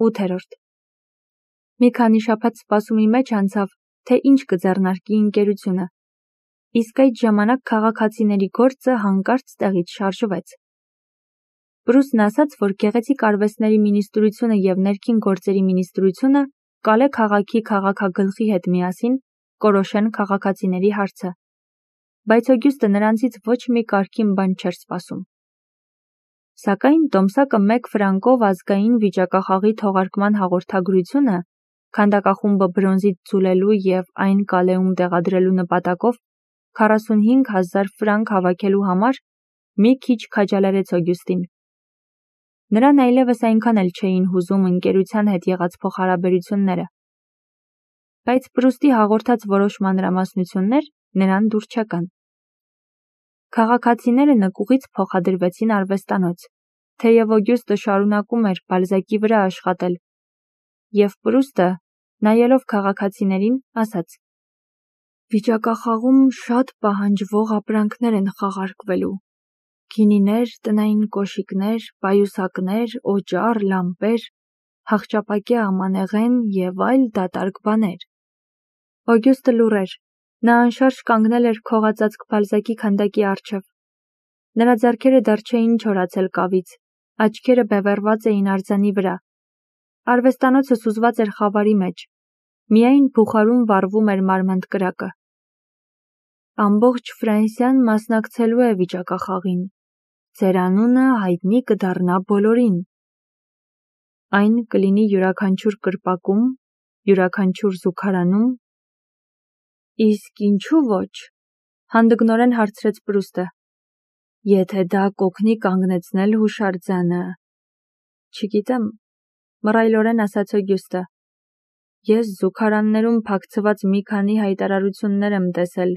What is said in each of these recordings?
8. Մի քանի շաբաթ սպասումի մեջ անցավ, թե ինչ կձեռնարկի ընկերությունը, իսկ այդ ժամանակ քաղաքացիների գործը հանկարծ տեղից շարժվեց։ Պրուստն ասաց, որ գեղեցիկ արվեստների մինիստրությունը և ներքին գործերի մինիստրությունը Կալե քաղաքի քաղաքագլխի հետ միասին կորոշեն քաղաքացիների հարցը, բայց Օգյուստը նրանցից ոչ մի կարգին բան չէր սպասում։ Սակայն տոմսակը 1 ֆրանկով ազգային վիճակախաղի թողարկման հաղորդագրությունը քանդակախումբը բրոնզից ձուլելու և այն Կալեում տեղադրելու նպատակով 45,000 ֆրանկ հավաքելու համար մի քիչ քաջալերեց Օգյուստին։ Նրան այլևս այնքան էլ չէին հուզում ընկերության հետ եղած փոխհարաբերությունները, բայց Պրուստի հաղորդած որոշ մանրամասնություններ նրան դուր չեկան։ Քաղաքացիները նկուղից փոխադրվեցին արվեստանոց, թեև Օգյուստը շարունակում էր Բալզակի վրա աշխատել, և Պրուստը, նայելով քաղաքացիներին, ասաց. «Վիճակախաղում շատ պահանջվող ապրանքներ են խաղարկվելու. գինիներ, տնային կոշիկներ, պայուսակներ, օճառ, լամպեր, հախճապակյա ամանեղեն և այլ դատարկ բաներ»։ Օգյուստը լուռ էր, նա անշարժ կանգնել էր քողածածկ Բալզակի քանդակի առջև։ Նրա ձեռքերը դեռ չէին չորացել կավից, աչքերը բևեռված էին արձանի վրա։ Արվեստանոցը սուզված էր խավարի մեջ, միայն բուխարում վառվում էր մարմանդ կրակը։ «Ամբողջ Ֆրանսիան մասնակցելու է վիճակախաղին, ձեր անունը հայտնի կդառնա բոլորին։ Այն կլինի յուրաքանչյուր կրպակում, յուրաքանչյուր զուգարանում»։ «Իսկ ինչու ոչ», հանդգնորեն հարցրեց Պրուստը, «եթե դա կօգնի կանգնեցնել հուշարձանը»։ «Չգիտեմ», մռայլորեն ասաց Օգյուստը, «ես զուգարաններում փակցված մի քանի հայտարարություններ եմ տեսել,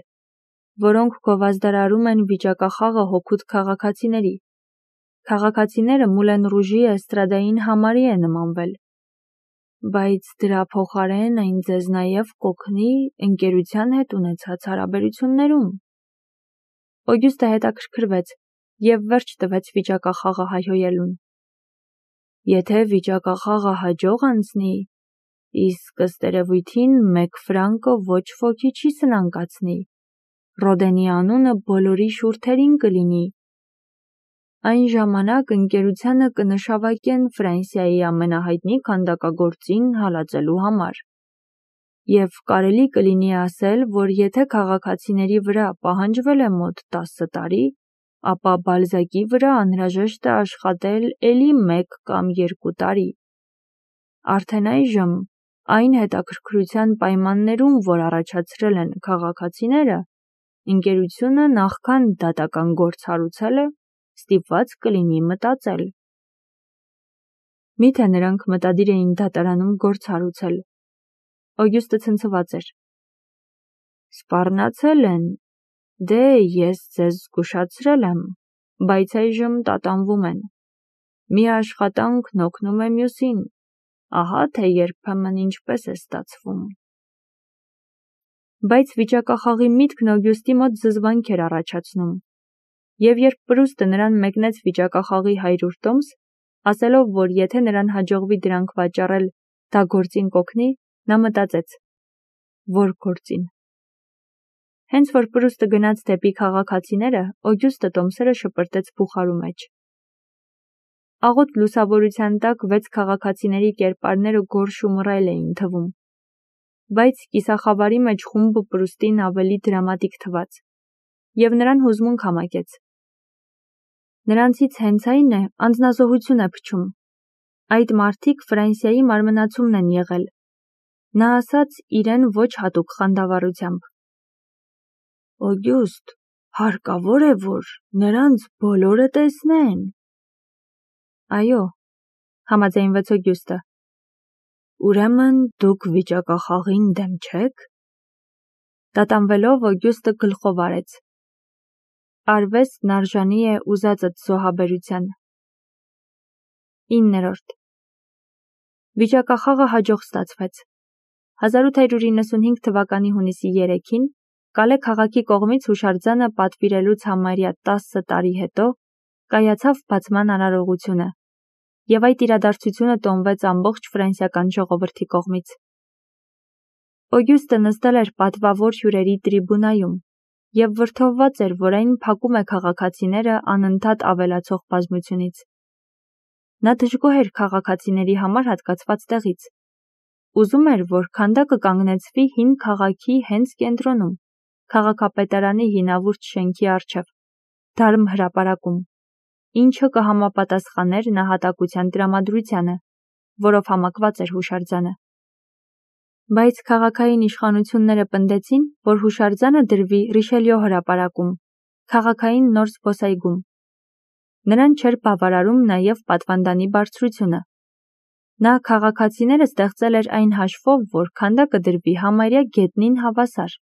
որոնք գովազդարարում են վիճակախաղը հօգուտ քաղաքացիների։ Քաղաքացիները Մուլեն Ռուժի էստրադային համարի է նմանվել, բայց դրա փոխարեն այն ձեզ նաև կօգնի ընկերության հետ ունեցած հարաբերություններում»։ Օգյուստը հետաքրքրվեց և վերջ տվեց վիճակախաղը հայհոյելուն։ «Եթե վիճակախաղը հաջող անցնի, իսկ ըստ երևույթին 1 ֆրանկը ոչ ոքի չի սնանկացնի, Ռոդենի անունը բոլորի շուրթերին կլինի։ Այն ժամանակ ընկերությանը կնշավարկեն Ֆրանսիայի ամենահայտնի քանդակագործին հալածելու համար։ Եվ կարելի կլինի ասել, որ եթե քաղաքացիների վրա պահանջվել է մոտ 10 տարի, ապա Բալզակի վրա անհրաժեշտ է աշխատել էլի 1 կամ 2 տարի։ Արդեն այժմ, այն հետաքրքրության պայմաններում, որ առաջացրել են քաղաքացիները, ընկերությունը նախքան դատական գործ հարուցելը, ստիպված կլինի մտածել»։ Միթե նրանք մտադիր էին դատարանում գործ հարուցել։ Օգյուստը ցնցված էր։ «Սպառնացել են, դե ես ձեզ զգուշացրել եմ, բայց այժմ տատանվում են։ Մի աշխատանքն օգնում է մյուսին, ահա թե երբեմն ինչպես է ստացվում»։ Բայց վիճակախաղի միտքն Օգյուստի մոտ զզվանք էր առաջացնում, և երբ Պրուստը նրան մեկնեց վիճակախաղի 100 տոմս, ասելով, որ եթե նրան հաջողվի դրանք վաճառել, դա գործին կօգնի, նա մտածեց. «Որ գործին»։ Հենց որ Պրուստը գնաց դեպի քաղաքացիները, Օգյուստը տոմսերը շպրտեց բուխարու մեջ։ Աղոտ լուսավորության տակ 6 քաղաքացիների կերպարները գորշ ու մռայլ էին թվում, բայց կիսախավարի մեջ խումբը Պրուստին ավելի դրամատիկ թվաց, և նրան հուզմունք համակեց։ Նրանցից հենց այն է անձնազոհություն է փչում։ Այդ մարդիկ Ֆրանսիայի մարմնացումն են եղել, նա ասաց իրեն ոչ հատուկ խանդավառությամբ։ «Օգյուստ, հարկավոր է, որ նրանց բոլորը տեսնեն»։ «Այո», համաձայնվեց Օգյուստը։ «Ուրեմն դուք վիճակախաղին դեմ չե՞ք»։ Տատանվելով Օգյուստը գլխով արեց։ Արվեստն արժանի է ուզածդ զոհաբերության։ 9. Վիճակախաղը հաջող ստացվեց։ 1895 թվականի հունիսի 3-ին Կալե քաղաքի կողմից հուշարձանը պատվիրելուց համարյա 10 տարի հետո կայացավ բացման արարողությունը, եւ այդ իրադարձությունը տոնվեց ամբողջ ֆրանսիական ժողովրդի կողմից։ Օգյուստը նստել էր պատվավոր հյուրերի տրիբունայում եւ վրդովված էր, որ այն փակում է քաղաքացիները անընդհատ ավելացող բազմությունից։ Նա դժգոհ էր քաղաքացիների համար հատկացված տեղից։ Ուզում էր, որ քանդակը կանգնեցվի հին քաղաքի հենց կենտրոնում, քաղաքապետարանի հինավուրց շենքի առջև, դարմ հրապարակում, ինչը կհամապատասխաներ նահատակության տրամադրությանը, որով համակված էր հուշարձանը։ Բայց քաղաքային իշխանությունները պնդեցին, որ հուշարձանը դրվի Ռիշելյո հրապարակում, քաղաքային նոր զբոսայգում։ Նրան չէր բավարարում նաև պատվանդանի բարձրությունը։ Նա քաղաքացիները ստեղծել էր այն հաշվով, որ քանդակը դրվի համարյա գետնին հավասար,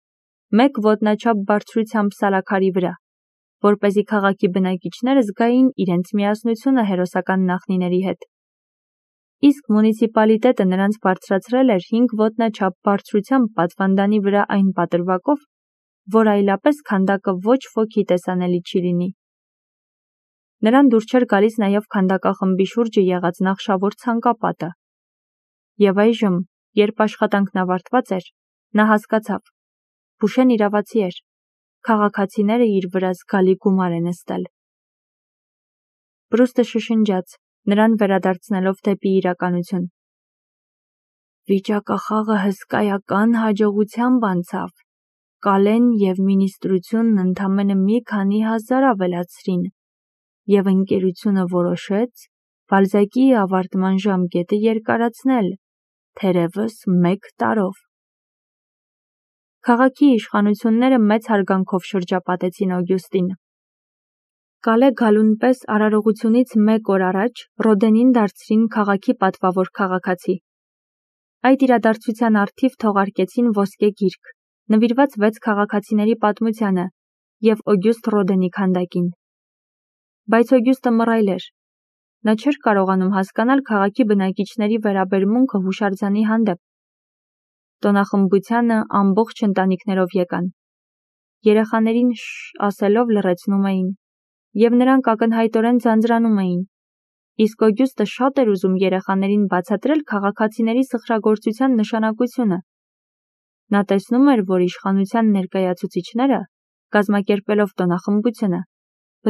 1 ոտնաչափ բարձրությամբ սալաքարի վրա, որպեսզի քաղաքի բնակիչները զգային իրենց միասնությունը հերոսական նախնիների հետ։ Իսկ մունիցիպալիտետը նրանց բարձրացրել էր 5 ոտնաչափ բարձրությամբ պատվանդանի վրա այն պատրվակով, որ այլապես քանդակը ոչ ոքի տեսանելի չի լինի։ Նրան դուր չէր գալիս նաև քանդակախմբի շուրջը եղած նախշավոր ցանկապատը։ Եվ այժմ, երբ աշխատանքն ավարտված էր, նա հասկացավ. Բուշեն իրավացի էր, քաղաքացիները իր վրա զգալի գումար են նստել։ Պրուստը շշնջաց, նրան վերադարձնելով դեպի իրականություն։ Վիճակախաղը հսկայական հաջողությամբ անցավ։ Կալեն եւ մինիստրությունն ընդամենը մի քանի հազար ավելացրին, եւ ընկերությունը որոշեց Բալզակի ավարտման ժամկետը երկարացնել, թերևս 1 տարով։ Քաղաքի իշխանությունները մեծ հարգանքով շրջապատեցին Օգյուստին։ Կալե գալուն պես արարողությունից 1 օր առաջ Ռոդենին դարձրին քաղաքի պատվավոր քաղաքացի։ Այդ իրադարձության առթիվ թողարկեցին ոսկե գիրք, նվիրված 6 քաղաքացիների պատմությանը եւ Օգյուստ Ռոդենի քանդակին։ Բայց Օգյուստը մռայլ էր։ Նա չէր կարողանում հասկանալ քաղաքի բնակիչների վերաբերմունքը հուշարձանի հանդեպ։ Տոնախմբությանը ամբողջ ընտանիքներով եկան։ Երեխաներին շշ ասելով լռեցնում էին, եւ նրանք ակնհայտորեն ձանձրանում էին։ Իսկ Օգյուստը շատ էր ուզում երեխաներին բացատրել քաղաքացիների սխրագործության նշանակությունը։ Նա տեսնում էր, որ իշխանության ներկայացուցիչները, կազմակերպելով տոնախմբությունը,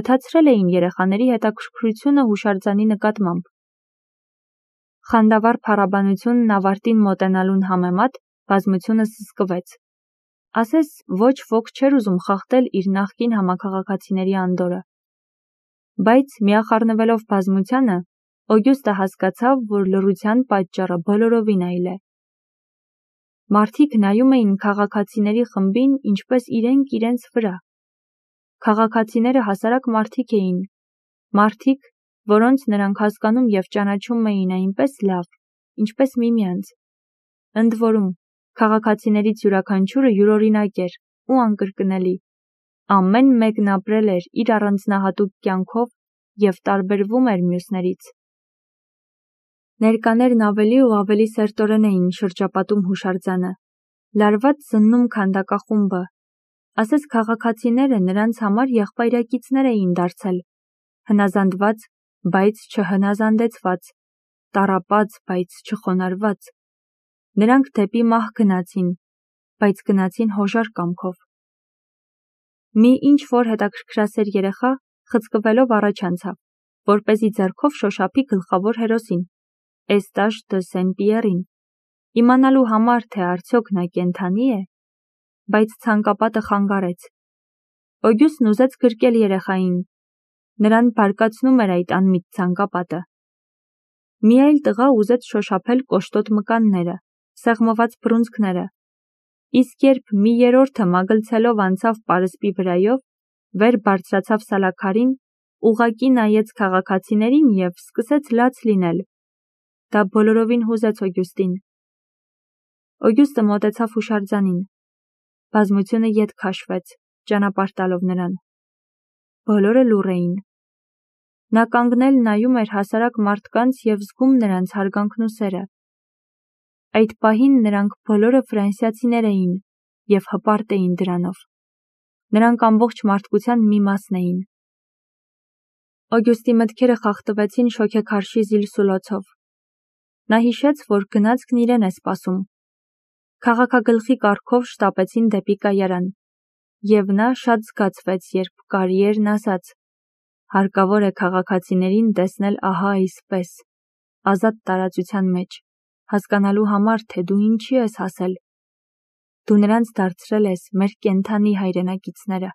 բթացրել էին երեխաների հետաքրքրությունը հուշարձանի նկատմամբ։ Խանդավառ փառաբանությունն ավարտին մոտենալուն համեմատ բազմությունը սսկվեց։ Ասես ոչ ոք չէր ուզում խախտել իր նախկին համաքաղաքացիների անդորը։ Բայց միախառնվելով բազմությանը, Օգյուստը հասկացավ, որ լռության պատճառը բոլորովին այլ է։ Մարդիկ նայում էին քաղաքացիների խմբին ինչպես իրենք իրենց վրա։ Քաղաքացիները հասարակ մարդիկ էին, մարդիկ, որոնց նրանք հասկանում եւ ճանաչում էին այնպես լավ, ինչպես միմյանց։ Ընդ որում, քաղաքացիներից յուրաքանչյուրը յուրօրինակ էր ու անկրկնելի։ Ամեն մեկն ապրել էր իր առանձնահատուկ կյանքով եւ տարբերվում էր մյուսներից։ Ներկաներն ավելի ու ավելի սերտորեն էին շրջապատում հուշարձանը, լարված զննում քանդակախումբը։ Ասես քաղաքացիները նրանց համար եղբայրակիցներ էին դարձել, հնազանդված, բայց չհնազանդեցված, տառապած, բայց չխոնարհված։ Նրանք դեպի մահ գնացին, բայց գնացին հոժար կամքով։ Մի ինչ-որ հետաքրքրասեր երեխա խցկվելով առաջ անցավ, որպեսզի ձեռքով շոշափի գլխավոր հերոսին, Էստաշ դը Սեն-Պիերին, իմանալու համար, թե արդյոք նա կենդանի է, բայց ցանկապատը խանգարեց։ Օգյուստն ուզեց գրկել երեխային։ Նրան բարկացնում էր այդ անմիտ ցանկապատը։ Մի այլ տղա ուզեց շոշափել կոշտոտ մկանները, սեղմված բռունցքները։ Իսկ երբ մի երրորդը մագլցելով անցավ պարսպի վրայով, վեր բարձրացավ սալաքարին, ուղղակի նայեց քաղաքացիներին եւ սկսեց լաց լինել։ Դա բոլորովին հուզեց Օգյուստին։ Օգյուստը մոտեցավ հուշարձանին։ Բազմությունը ետ քաշվեց, ճանապարհ տալով նրան։ Բոլորը լուռ էին։ Նա կանգնել նայում էր հասարակ մարդկանց եւ զգում նրանց հարգանքն ու սերը։ Այդ պահին նրանք բոլորը ֆրանսիացիներ էին եւ հպարտ էին դրանով։ Նրանք ամբողջ մարդկության մի մասն էին։ Օգյուստի մտքերը խախտվեցին շոգեքարշի զիլսուլոցով։ Նա հիշեց, որ գնացքն իրեն է սպասում։ Քաղաքագլխի կարգով շտապեցին դեպի կայարան, և նա շատ զգացվեց, երբ կարիերն ասաց. «Հարկավոր է քաղաքացիներին տեսնել ահա այսպես, ազատ տարածության մեջ, հասկանալու համար, թե դու ինչի ես հասել։ Դու նրանց դարձրել ես մեր կենդանի հայրենակիցները»։